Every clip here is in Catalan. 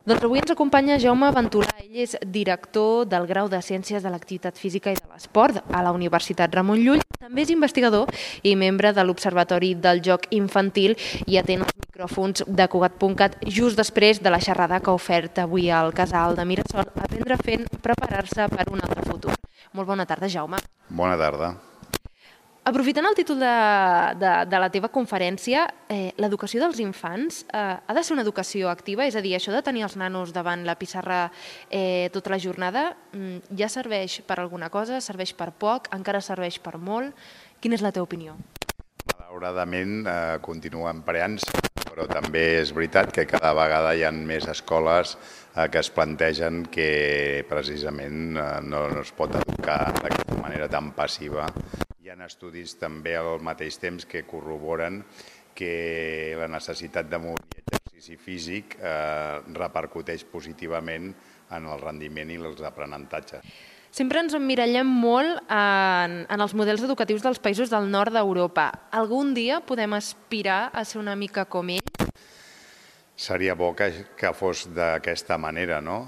Doncs avui ens acompanya Jaume Ventolà. Ell és director del grau de Ciències de l'Activitat Física i de l'Esport a la Universitat Ramon Llull. També és investigador i membre de l'Observatori del Joc Infantil i atén els micròfons de Cugat.cat just després de la xerrada que ha ofert avui al Casal de Mirasol, Aprendre fent, preparar-se per un altre futur. Molt bona tarda, Jaume. Bona tarda. Aprofitant el títol de la teva conferència, l'educació dels infants ha de ser una educació activa? És a dir, això de tenir els nanos davant la pissarra tota la jornada ja serveix per alguna cosa, serveix per poc, encara serveix per molt? Quina és la teva opinió? Malauradament continua empreant-se, però també és veritat que cada vegada hi ha més escoles que es plantegen que precisament no es pot educar d'aquesta manera tan passiva. Hi ha estudis també al mateix temps que corroboren que la necessitat de moviment i exercici físic repercuteix positivament en el rendiment i els aprenentatges. Sempre ens emmirallem molt en els models educatius dels països del nord d'Europa. Algun dia podem aspirar a ser una mica com ells? Seria bo que fos d'aquesta manera, no?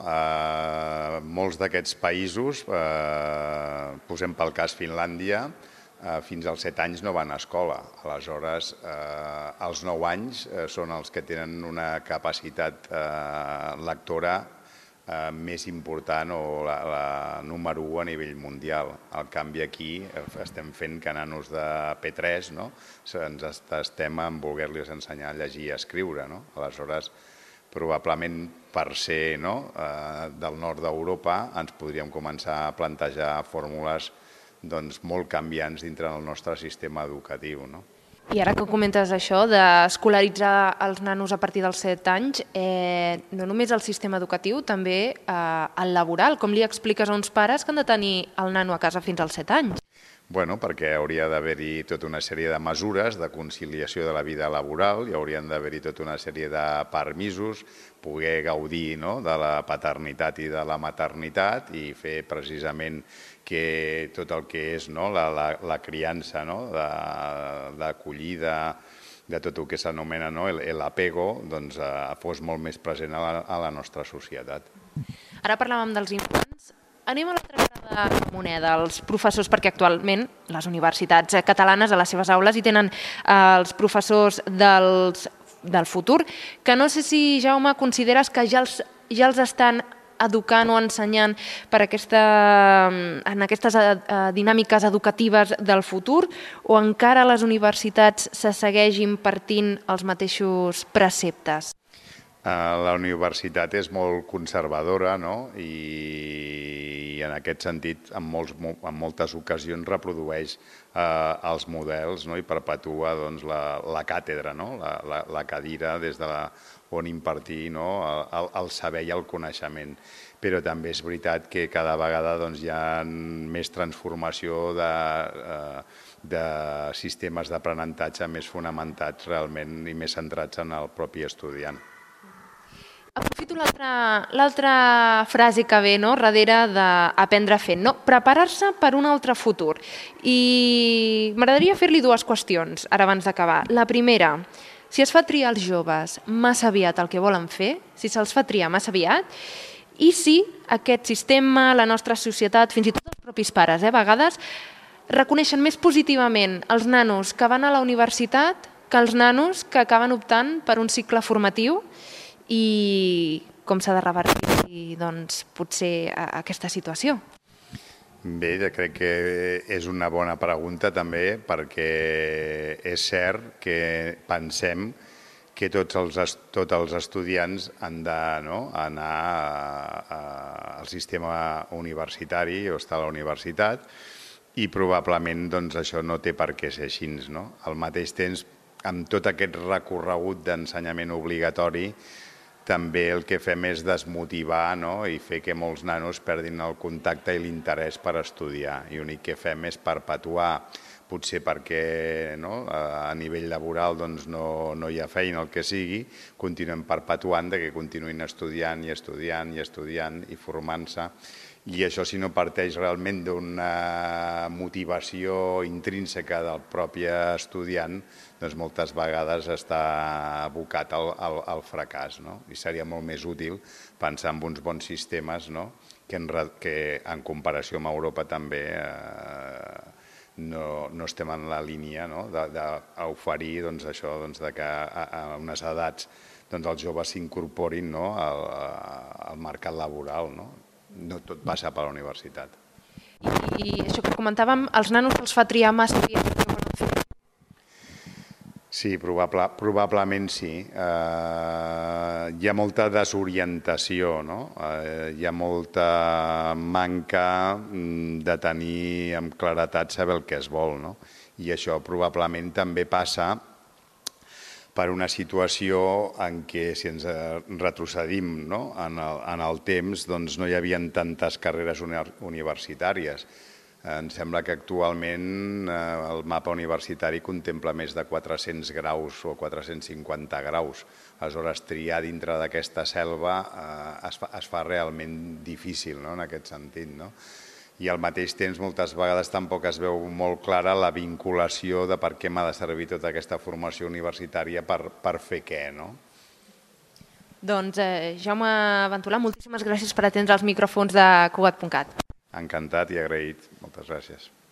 Molts d'aquests països, posem pel cas Finlàndia, fins als 7 anys no van a escola. Aleshores, als 9 anys són els que tenen una capacitat lectora més important o la número 1 a nivell mundial. En canvi, aquí estem fent que nanos de P3, no? Ens estem en voler-los ensenyar a llegir i a escriure, no? Aleshores, probablement per ser del nord d'Europa ens podríem començar a plantejar fórmules molt canviants dintre del nostre sistema educatiu. I ara que comentes això d'escolaritzar els nanos a partir dels 7 anys, no només el sistema educatiu, també el laboral. Com li expliques a uns pares que han de tenir el nano a casa fins als 7 anys? Bueno, perquè hauria d'haver-hi tota una sèrie de mesures de conciliació de la vida laboral, hi haurien d'haver-hi tota una sèrie de permisos, poder gaudir de la paternitat i de la maternitat i fer precisament que tot el que és la criança, l'acollida, de tot el que s'anomena l'apego, fos molt més present a la nostra societat. Ara parlàvem dels infants. Anem a l'altra cara de la moneda, els professors, perquè actualment les universitats catalanes a les seves aules hi tenen els professors del futur, que no sé si, Jaume, consideres que ja els estan educant o ensenyant en aquestes dinàmiques educatives del futur, o encara a les universitats se segueix impartint els mateixos preceptes? La universitat és molt conservadora i en aquest sentit en moltes ocasions reprodueix els models i perpetua la càtedra, la cadira des on impartir el saber i el coneixement. Però també és veritat que cada vegada hi ha més transformació de sistemes d'aprenentatge més fonamentats realment i més centrats en el propi estudiant. Aprofito l'altra frase que ve darrere d'aprendre fent, preparar-se per un altre futur. I m'agradaria fer-li dues qüestions ara abans d'acabar. La primera, si es fa triar als joves massa aviat el que volen fer, si se'ls fa triar massa aviat, i si aquest sistema, la nostra societat, fins i tot els propis pares, a vegades, reconeixen més positivament els nanos que van a la universitat que els nanos que acaben optant per un cicle formatiu, i com s'ha de revertir potser aquesta situació? Bé, crec que és una bona pregunta també, perquè és cert que pensem que tots els estudiants han d'anar al sistema universitari o estar a la universitat i probablement això no té per què ser així. Al mateix temps, amb tot aquest recorregut d'ensenyament obligatori, també el que fem és desmotivar i fer que molts nanos perdin el contacte i l'interès per estudiar. I l'únic que fem és perpetuar potser perquè a nivell laboral no hi ha feina, el que sigui, continuem perpetuant que continuïn estudiant i estudiant i estudiant i formant-se. I això, si no parteix realment d'una motivació intrínseca del propi estudiant, doncs moltes vegades està abocat al fracàs. I seria molt més útil pensar en uns bons sistemes que en comparació amb Europa també no estem en la línia d'oferir això que a unes edats els joves s'incorporin al mercat laboral. No tot passa per la universitat. I això que comentàvem, els nanos els fa triar massa aviat el que volen fer? Sí, probablement sí. Hi ha molta desorientació, hi ha molta manca de tenir amb claretat saber el que es vol. I això probablement també passa per una situació en què, si ens retrocedim en el temps, no hi havia tantes carreres universitàries. Em sembla que actualment el mapa universitari contempla més de 400 graus o 450 graus. Aleshores, triar dintre d'aquesta selva es fa realment difícil en aquest sentit. I al mateix temps moltes vegades tampoc es veu molt clara la vinculació de per què m'ha de servir tota aquesta formació universitària per fer què. Doncs Jaume Ventolà, moltíssimes gràcies per atendre els micròfons de Cugat.cat. Encantat i agraït. Moltes gràcies.